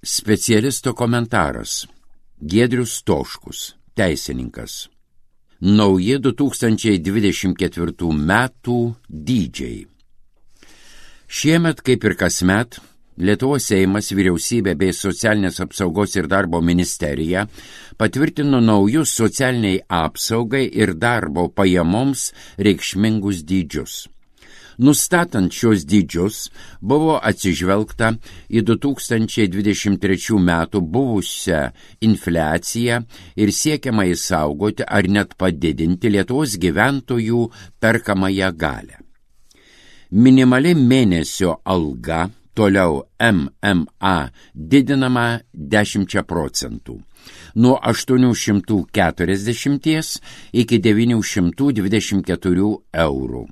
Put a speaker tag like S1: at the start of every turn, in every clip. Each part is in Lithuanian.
S1: Specialisto komentaras. Giedrius Stoškus, teisininkas. Nauji 2024 metų dydžiai. Šiemet, kaip ir kasmet, Lietuvos Seimas, Vyriausybė bei Socialinės apsaugos ir darbo ministerija patvirtino naujus socialiniai apsaugai ir darbo pajamoms reikšmingus dydžius. Nustatant šios dydžius, buvo atsižvelgta į 2023 metų buvusią infliaciją ir siekiama išsaugoti ar net padidinti Lietuvos gyventojų perkamąją galią. Minimali mėnesio alga, toliau MMA, didinama 10%, nuo 840 iki 924 eurų.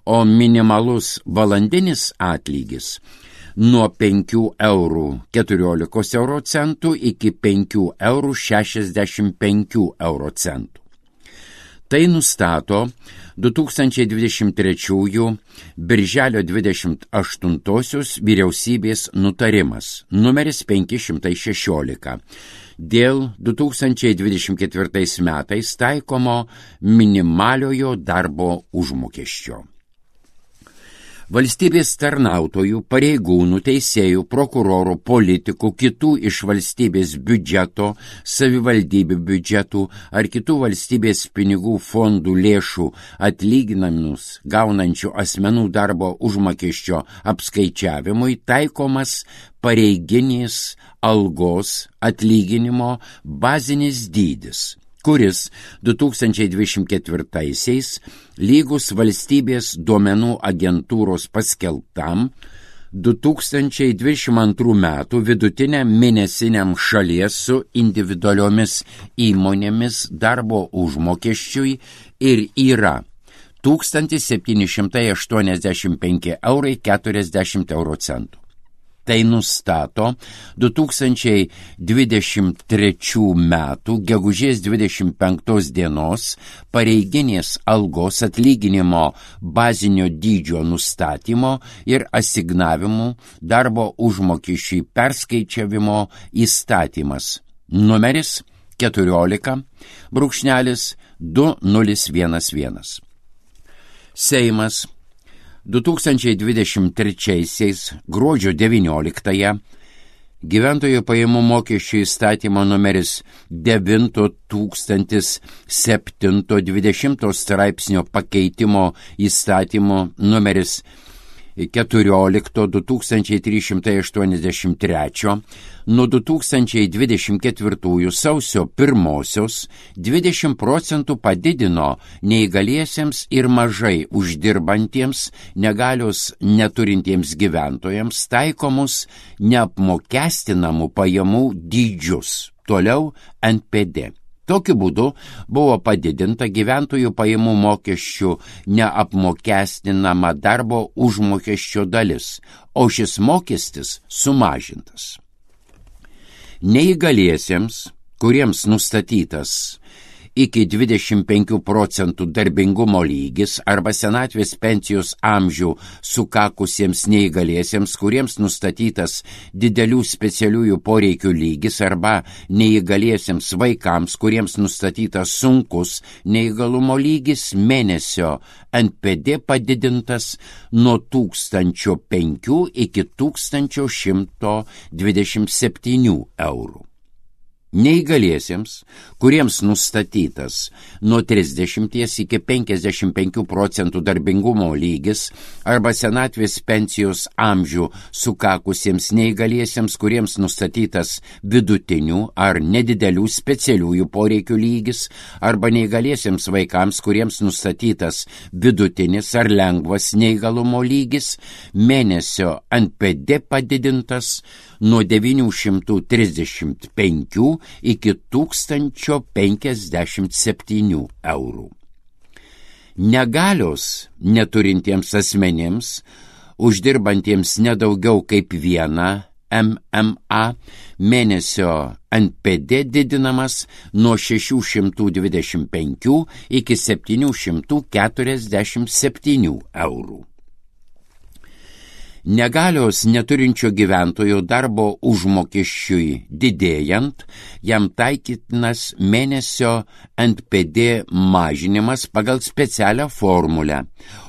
S1: O minimalus valandinis atlygis nuo 5,14 € iki 5,65 €. Tai nustato 2023 birželio 28 vyriausybės nutarimas numeris 516 dėl 2024 metais taikomo minimaliojo darbo užmokesčio. Valstybės tarnautojų, pareigūnų, teisėjų, prokurorų, politikų, kitų iš valstybės biudžeto, savivaldybių biudžetų ar kitų valstybės pinigų fondų lėšų atlyginamus gaunančių asmenų darbo užmokesčio apskaičiavimui taikomas pareiginės algos atlyginimo bazinis dydis, kuris 2024-aisiais lygus valstybės duomenų agentūros paskelbtam 2022 metų vidutiniam mėnesiniam šalies su individualiomis įmonėmis darbo užmokesčiui ir yra 1785,40 €. Tai nustato 2023 metų gegužės 25 dienos pareiginės algos atlyginimo bazinio dydžio nustatymo ir asignavimų darbo užmokesčiui perskaičiavimo įstatymas numeris 14/2011. Seimas 2023 gruodžio 19 gyventojų pajamų mokesčių įstatymo numeris 9007-20 straipsnio pakeitimo įstatymo numeris 14/2383 nuo 2024 sausio 1 20% padidino neįgaliesiems ir mažai uždirbantiems negalios neturintiems gyventojams taikomus neapmokestinamų pajamų dydžius, toliau NPD. Tokiu būdu buvo padidinta gyventojų pajamų mokesčių neapmokestinama darbo užmokesčio dalis, o šis mokestis sumažintas. Neįgaliesiems, kuriems nustatytas iki 25% darbingumo lygis arba senatvės pensijos amžių sukakusiems neįgaliesiems, kuriems nustatytas didelių specialiųjų poreikių lygis arba neįgaliesiems vaikams, kuriems nustatytas sunkus neįgalumo lygis, mėnesio NPD padidintas nuo 1005 iki 1127 eurų. Neįgaliesiems, kuriems nustatytas nuo 30 iki 55% darbingumo lygis arba senatvės pensijos amžių sukakusiems neįgaliesiems, kuriems nustatytas vidutinių ar nedidelių specialiųjų poreikių lygis arba neįgaliesiems vaikams, kuriems nustatytas vidutinis ar lengvas neįgalumo lygis, mėnesio NPD padidintas nuo 935 iki 1057 eurų. Negalios neturintiems asmenims, uždirbantiems nedaugiau kaip vieną MMA, mėnesio NPD didinamas nuo 625 iki 747 eurų. Negalios neturinčio gyventojo darbo užmokesčiui didėjant, jam taikytinas mėnesio NPD mažinimas pagal specialią formulę,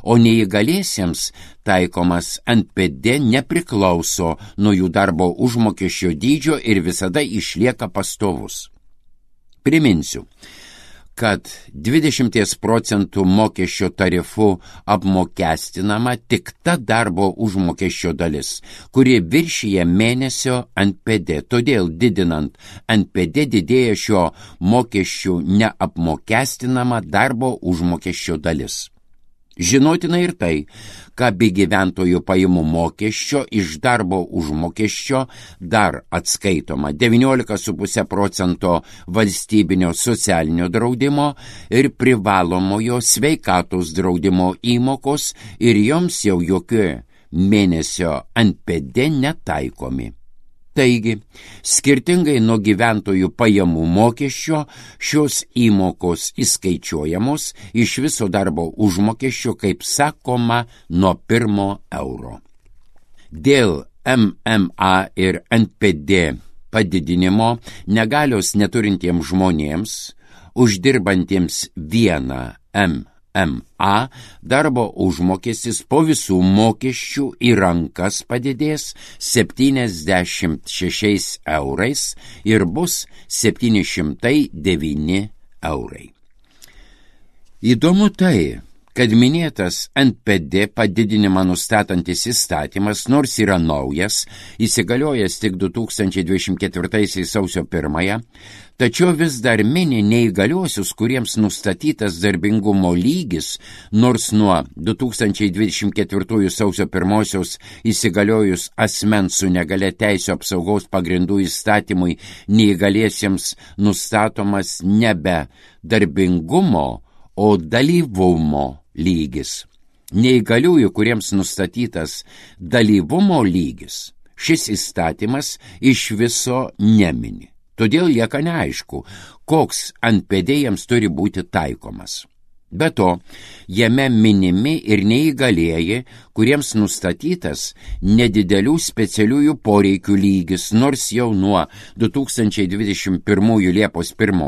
S1: o neįgaliesiems taikomas NPD nepriklauso nuo jų darbo užmokesčio dydžio ir visada išlieka pastovus. Priminsiu, kad 20% mokesčio tarifu apmokestinama tik ta darbo užmokesčio dalis, kuri viršyje mėnesio NPD. Todėl didinant NPD didėja šio mokesčių neapmokestinama darbo užmokesčio dalis. Žinotina ir tai, kad be gyventojų pajamų mokesčio iš darbo užmokesčio dar atskaitoma 19,5% valstybinio socialinio draudimo ir privalomojo sveikatos draudimo įmokos ir joms jau jokie mėnesio NPD netaikomi. Taigi, skirtingai nuo gyventojų pajamų mokesčio, šios įmokos įskaičiuojamos iš viso darbo užmokesčio, kaip sakoma, nuo 1 euro. Dėl MMA ir NPD padidinimo negalios neturintiems žmonėms, uždirbantiems 1 MMA, darbo užmokestis po visų mokesčių į rankas padidės 76 eurais ir bus 709 eurai. Įdomu tai, kad minėtas NPD padidinimą nustatantis įstatymas, nors yra naujas, įsigaliojęs tik 2024 sausio 1, tačiau vis dar mini neįgaliuosius, kuriems nustatytas darbingumo lygis, nors nuo 2024 sausio 1 įsigaliojus asmens su negalia teisių apsaugos pagrindų įstatymui neįgaliesiems nustatomas nebe darbingumo, o dalyvumo lygis. Neįgaliųjų, kuriems nustatytas dalyvumo lygis, šis įstatymas iš viso nemini. Todėl lieka neaišku, koks NPD jiems turi būti taikomas. Be to, jame minimi ir neįgalieji, kuriems nustatytas nedidelių specialiųjų poreikių lygis, nors jau nuo 2021 Liepos 1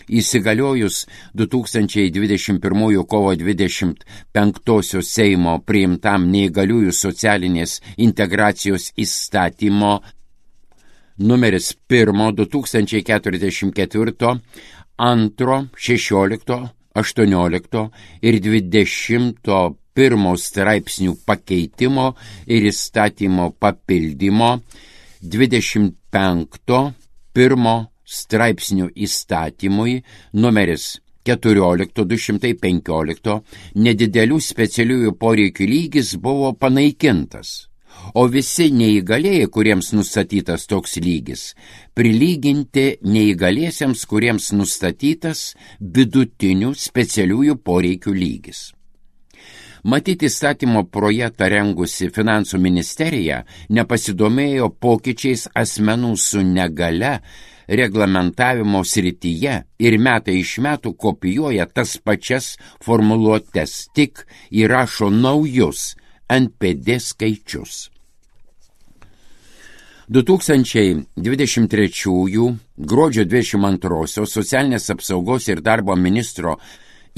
S1: įsigaliojus 2021 kovo 25 Seimo priimtam neįgaliųjų socialinės integracijos įstatymo numeris 1 2044, 2, 16, 18 ir 21 straipsnių pakeitimo ir įstatymo papildymo 25 1 straipsnių įstatymui numeris 14/215 nedidelių specialiųjų poreikių lygis buvo panaikintas, o visi neįgalieji, kuriems nustatytas toks lygis, prilyginti neįgaliesiems, kuriems nustatytas vidutinių specialiųjų poreikių lygis. Matyti įstatymo projektą rengusi Finansų ministerija nepasidomėjo pokyčiais asmenų su negale reglamentavimo srityje ir metai iš metų kopijuoja tas pačias formuluotes, tik įrašo naujus NPD skaičius. 2023 gruodžio 22 socialinės apsaugos ir darbo ministro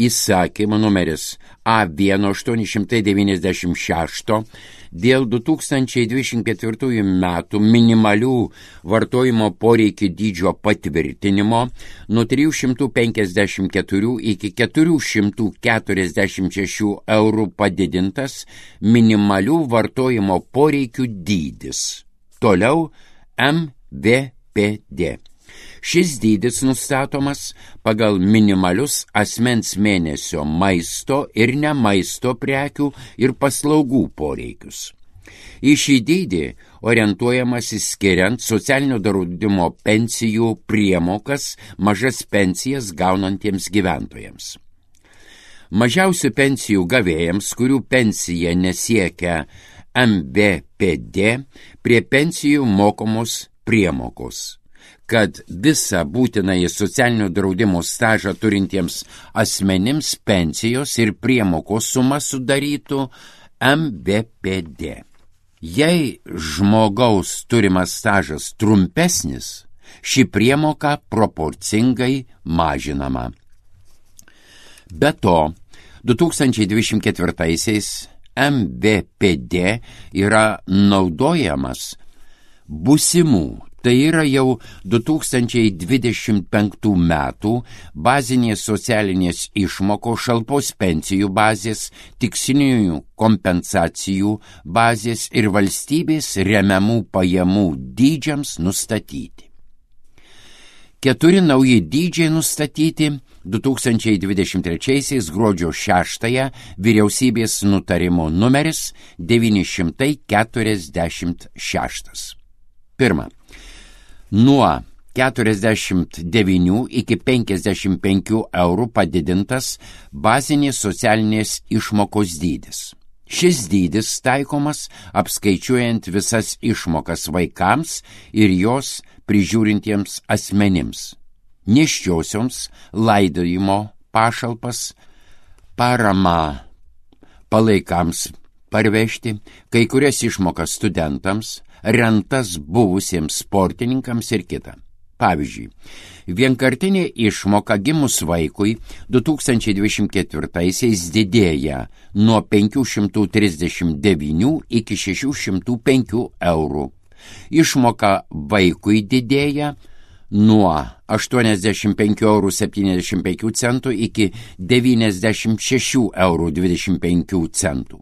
S1: įsakymo numeris A1896 dėl 2024 metų minimalių vartojimo poreikių dydžio patvirtinimo nuo 354 iki 446 eurų padidintas minimalių vartojimo poreikių dydis. Toliau MVPD. Šis dydis nustatomas pagal minimalius asmens mėnesio maisto ir nemaisto prekių ir paslaugų poreikius. Į šį dydį orientuojamas skiriant socialinio draudimo pensijų priemokas mažas pensijas gaunantiems gyventojams. Mažiausių pensijų gavėjams, kurių pensija nesiekia MVPD, prie pensijų mokamos priemokos, kad visą būtinąjį socialinio draudimo stažą turintiems asmenims pensijos ir priemokos suma sudarytų MVPD. Jei žmogaus turimas stažas trumpesnis, ši priemoka proporcingai mažinama. Be to, 2024-aisiais MVPD yra naudojamas būsimų, tai yra jau 2025 metų bazinės socialinės išmokos, šalpos pensijų bazės, tikslinių kompensacijų bazės ir valstybės remiamų pajamų dydžiams nustatyti. 4 nauji dydžiai nustatyti 2023 gruodžio 6 vyriausybės nutarimo numeris 946. Pirma, nuo 49 iki 55 eurų padidintas bazinės socialinės išmokos dydis. Šis dydis taikomas apskaičiuojant visas išmokas vaikams ir jos prižiūrintiems asmenims, nėščiosioms, laidojimo pašalpas, parama palaikams parvežti, kai kurias išmokas studentams, rentas buvusiems sportininkams ir kita. Pavyzdžiui, vienkartinė išmoka gimus vaikui 2024-aisiais didėja nuo 539 iki 605 eurų. Išmoka vaikui didėja nuo 85,75 eurų iki 96,25 eurų.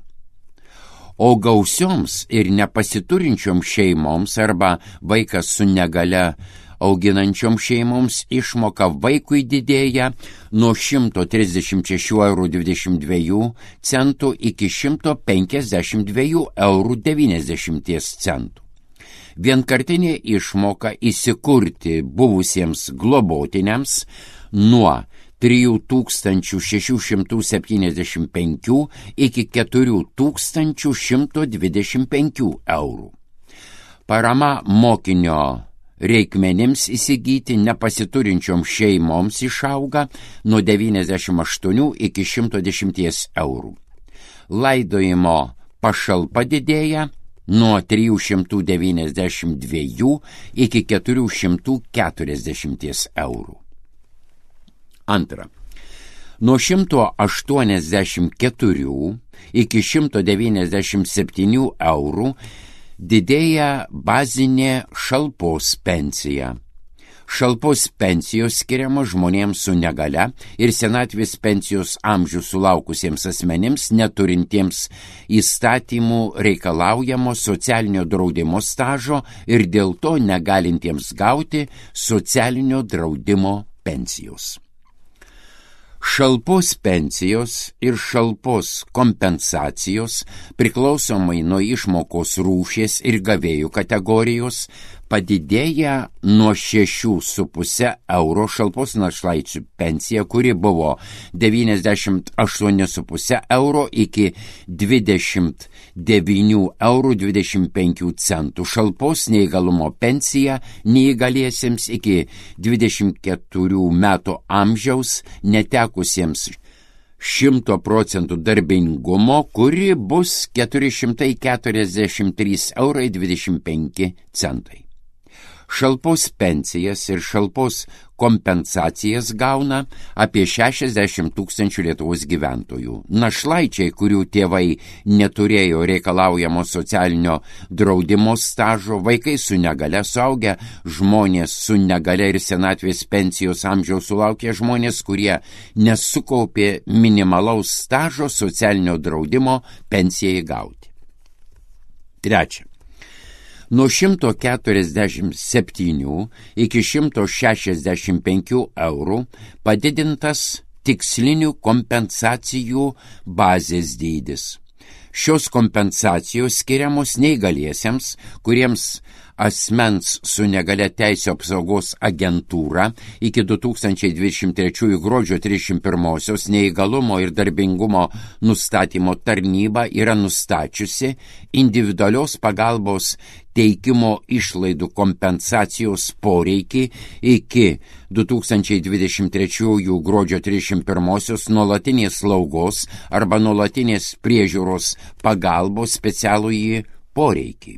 S1: O gausioms ir nepasiturinčioms šeimoms arba vaikas su negalia auginančioms šeimoms išmoka vaikui didėja nuo 136,22 eurų iki 152,90 eurų. Vienkartinė išmoka įsikurti buvusiems globotiniams nuo 3675 iki 4125 eurų. Parama mokinio reikmenims įsigyti nepasiturinčioms šeimoms išauga nuo 98 iki 110 eurų. Laidojimo pašalpa didėja nuo 392 iki 440 eurų. Antra, nuo 184 iki 197 eurų didėja bazinė šalpos pensija. Šalpos pensijos skiriamos žmonėms su negalia ir senatvės pensijos amžių sulaukusiems asmenims neturintiems įstatymų reikalaujamo socialinio draudimo stažo ir dėl to negalintiems gauti socialinio draudimo pensijos. Šalpos pensijos ir šalpos kompensacijos priklausomai nuo išmokos rūšies ir gavėjų kategorijos padidėja nuo 6,5 eurų šalpos našlaičių pensija, kuri buvo 98,5 eurų iki 29,25 eurų. Šalpos neįgalumo pensija neįgaliesiems iki 24 metų amžiaus netekusiems 100% darbingumo, kuri bus 443,25 eurų. Šalpos pensijas ir šalpos kompensacijas gauna apie 60 000 Lietuvos gyventojų. Našlaičiai, kurių tėvai neturėjo reikalaujamo socialinio draudimo stažo, vaikai su negalia, suaugę žmonės su negalia ir senatvės pensijos amžiaus sulaukę žmonės, kurie nesukaupė minimalaus stažo socialinio draudimo pensijai gauti. Trečia. Nuo 147 iki 165 eurų padidintas tikslinių kompensacijų bazės dydis. Šios kompensacijos skiriamos neįgaliesiems, kuriems asmens su negalia teisių apsaugos agentūra iki 2023 gruodžio 31 neįgalumo ir darbingumo nustatymo tarnyba yra nustačiusi individualios pagalbos teikimo išlaidų kompensacijos poreikį iki 2023 gruodžio 31 nuolatinės slaugos arba nuolatinės priežiūros pagalbos specialųjį poreikį,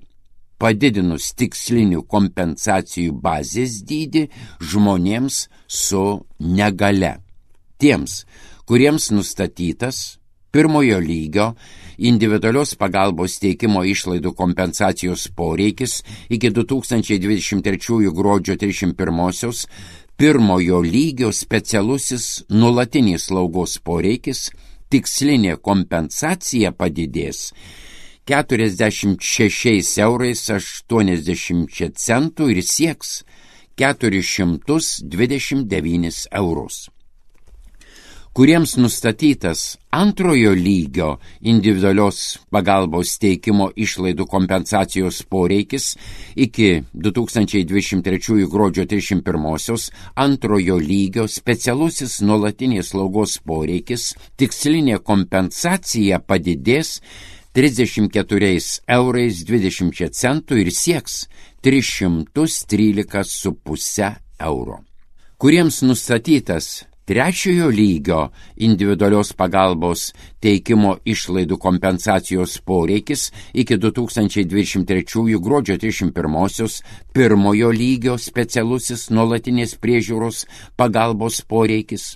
S1: padidinus tikslinių kompensacijų bazės dydį žmonėms su negale. Tiems, kuriems nustatytas pirmojo lygio individualios pagalbos teikimo išlaidų kompensacijos poreikis iki 2023 gruodžio 31 pirmojo lygio specialusis nuolatinis slaugos poreikis, tikslinė kompensacija padidės 46,80 € ir sieks 429 €. Kuriems nustatytas antrojo lygio individualios pagalbos teikimo išlaidų kompensacijos poreikis iki 2023 gruodžio 31 antrojo lygio specialusis nuolatinės slaugos poreikis, tikslinė kompensacija padidės 34,20 € ir sieks 313,5 €. Kuriems nustatytas trečiojo lygio individualios pagalbos teikimo išlaidų kompensacijos poreikis iki 2023 gruodžio 31 pirmojo lygio specialusis nuolatinės priežiūros pagalbos poreikis,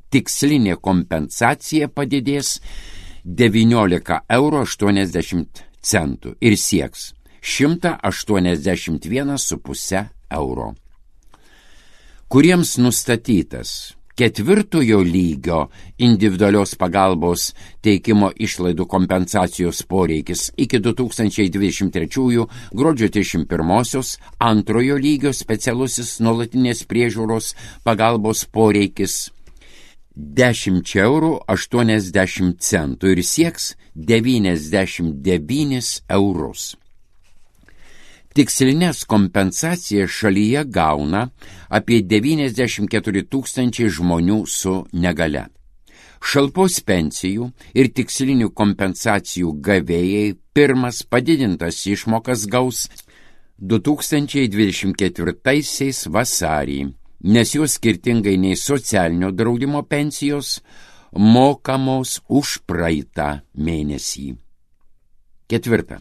S1: tikslinė kompensacija padidės 19,80 € ir sieks 181,5 €. Kuriems nustatytas ketvirtojo lygio individualios pagalbos teikimo išlaidų kompensacijos poreikis iki 2023 gruodžio 31 antrojo lygio specialusis nuolatinės priežiūros pagalbos poreikis 10,80 € ir sieks 99 €. Tikslinės kompensacijas šalyje gauna apie 94 000 žmonių su negale. Šalpos pensijų ir tikslinių kompensacijų gavėjai pirmas padidintas išmokas gaus 2024 vasarį, nes jos skirtingai nei socialinio draudimo pensijos mokamos už praeitą mėnesį. Ketvirta.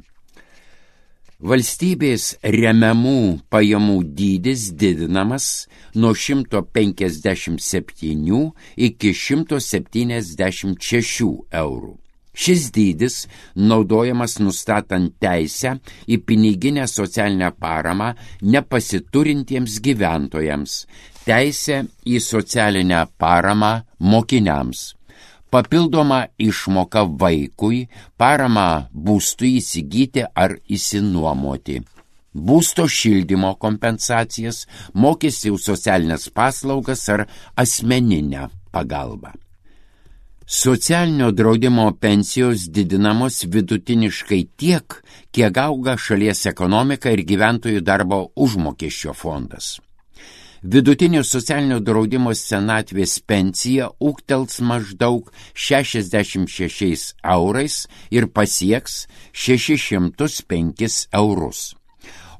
S1: Valstybės remiamų pajamų dydis didinamas nuo 157 iki 176 €. Šis dydis naudojamas nustatant teisę į piniginę socialinę paramą nepasiturintiems gyventojams, teisę į socialinę paramą mokiniams, papildoma išmoka vaikui, parama būstui įsigyti ar įsinuomoti, būsto šildymo kompensacijas, mokestį už socialinės paslaugas ar asmeninę pagalbą. Socialinio draudimo pensijos didinamos vidutiniškai tiek, kiek auga šalies ekonomika ir gyventojų darbo užmokesčio fondas. Vidutinio socialinio draudimo senatvės pensija ūgtels maždaug 66 € ir pasieks 605 €.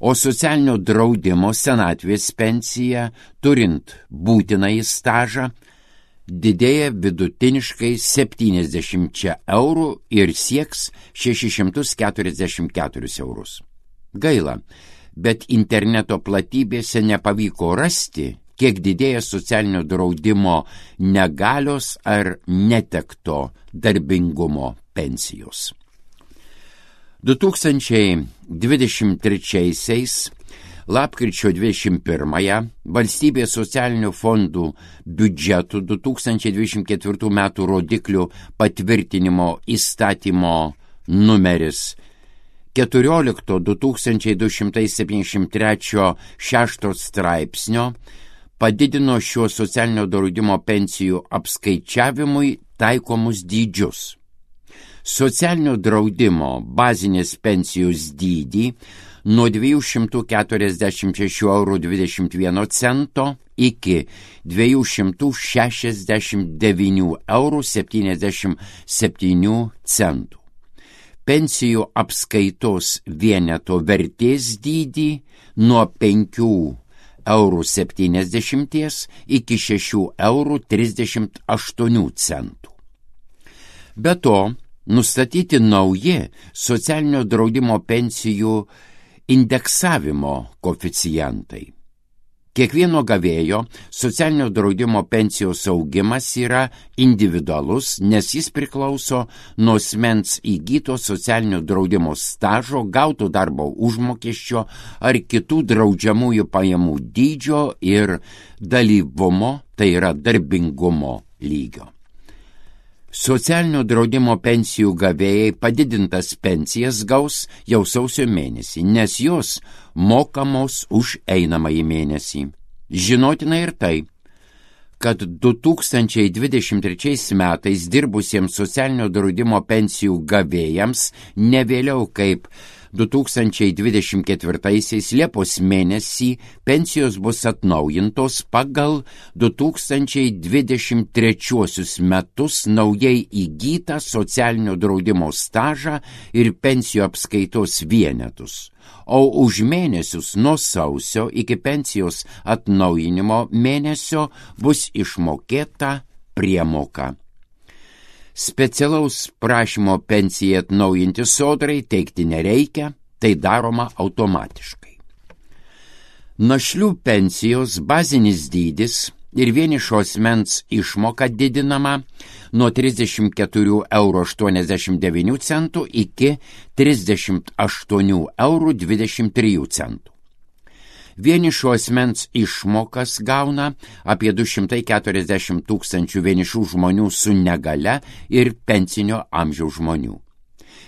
S1: O socialinio draudimo senatvės pensija, turint būtinąjį stažą, didėja vidutiniškai 70 € ir sieks 644 €. Gaila, bet interneto platybėse nepavyko rasti, kiek didėja socialinio draudimo negalios ar netekto darbingumo pensijos. 2023 lapkričio 21 valstybės socialinių fondų biudžetų 2024 metų rodiklių patvirtinimo įstatymo numeris 14/2273 6 straipsnio padidino šio socialinio draudimo pensijų apskaičiavimui taikomus dydžius. Socialinio draudimo bazinės pensijos dydį nuo 246,21 € iki 269,77 €. Pensijų apskaitos vieneto vertės dydį nuo 5,70 € iki 6,38 €. Be to, nustatyti nauji socialinio draudimo pensijų indeksavimo koeficientai. Kiekvieno gavėjo socialinio draudimo pensijos augimas yra individualus, nes jis priklauso nuo asmens įgyto socialinio draudimo stažo, gauto darbo užmokesčio ar kitų draudžiamųjų pajamų dydžio ir dalyvumo, tai yra darbingumo lygio. Socialinio draudimo pensijų gavėjai padidintas pensijas gaus jau sausio mėnesį, nes jos mokamos už einamąjį mėnesį. Žinotina ir tai, kad 2023 metais dirbusiems socialinio draudimo pensijų gavėjams ne vėliau kaip 2024 Liepos mėnesį pensijos bus atnaujintos pagal 2023 metus naujai įgytą socialinio draudimo stažą ir pensijų apskaitos vienetus, o už mėnesius nuo sausio iki pensijos atnaujinimo mėnesio bus išmokėta priemoka. Specialaus prašymo pensijai atnaujinti sodrai teikti nereikia, tai daroma automatiškai. Našlių pensijos bazinis dydis ir vienišo asmens išmoka didinama nuo 34,89 € iki 38,23 €. Vienišo asmens išmokas gauna apie 240 tūkstančių vienišų žmonių su negalia ir pensinio amžiaus žmonių.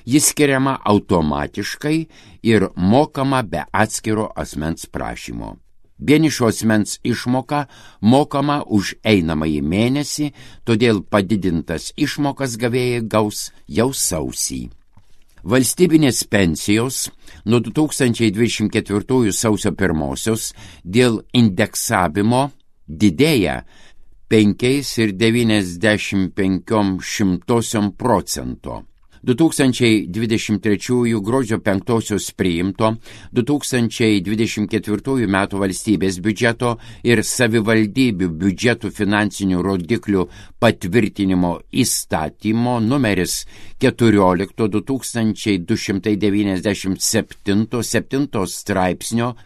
S1: Jis skiriama automatiškai ir mokama be atskiro asmens prašymo. Vienišo asmens išmoka mokama už einamąjį mėnesį, todėl padidintas išmokas gavėjai gaus jau sausį. Valstybinės pensijos nuo 2024 sausio 1 dėl indeksavimo didėja 5,95%. 2023 gruodžio 5 priimto 2024 metų valstybės biudžeto ir savivaldybių biudžetų finansinių rodiklių patvirtinimo įstatymo numeris 14/2297 straipsnio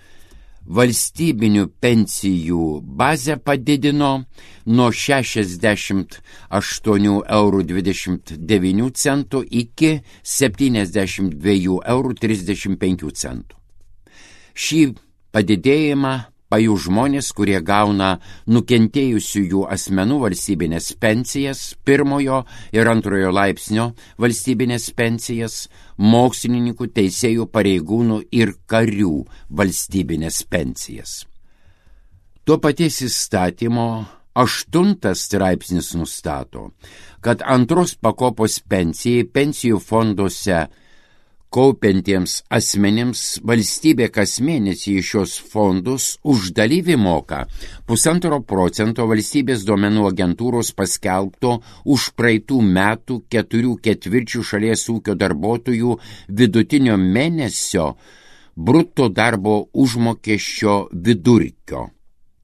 S1: valstybinių pensijų bazę padidino nuo 68,29 € iki 72,35 €. Šį padidėjimą pajus žmonės, kurie gauna nukentėjusiųjų asmenų valstybinės pensijas, pirmojo ir antrojo laipsnio valstybinės pensijas, mokslininkų, teisėjų, pareigūnų ir karių valstybinės pensijas. Tuo paties įstatymo 8 straipsnis nustato, kad antros pakopos pensijai pensijų fonduose kaupiantiems asmenims valstybė kas mėnesį iš šios fondus už dalyvį moka 1,5% valstybės duomenų agentūros paskelbto už praeitų metų 4/4 šalies ūkio darbuotojų vidutinio mėnesio bruto darbo užmokesčio vidurkio.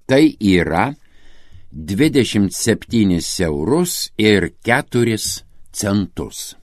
S1: Tai yra 27,04 €.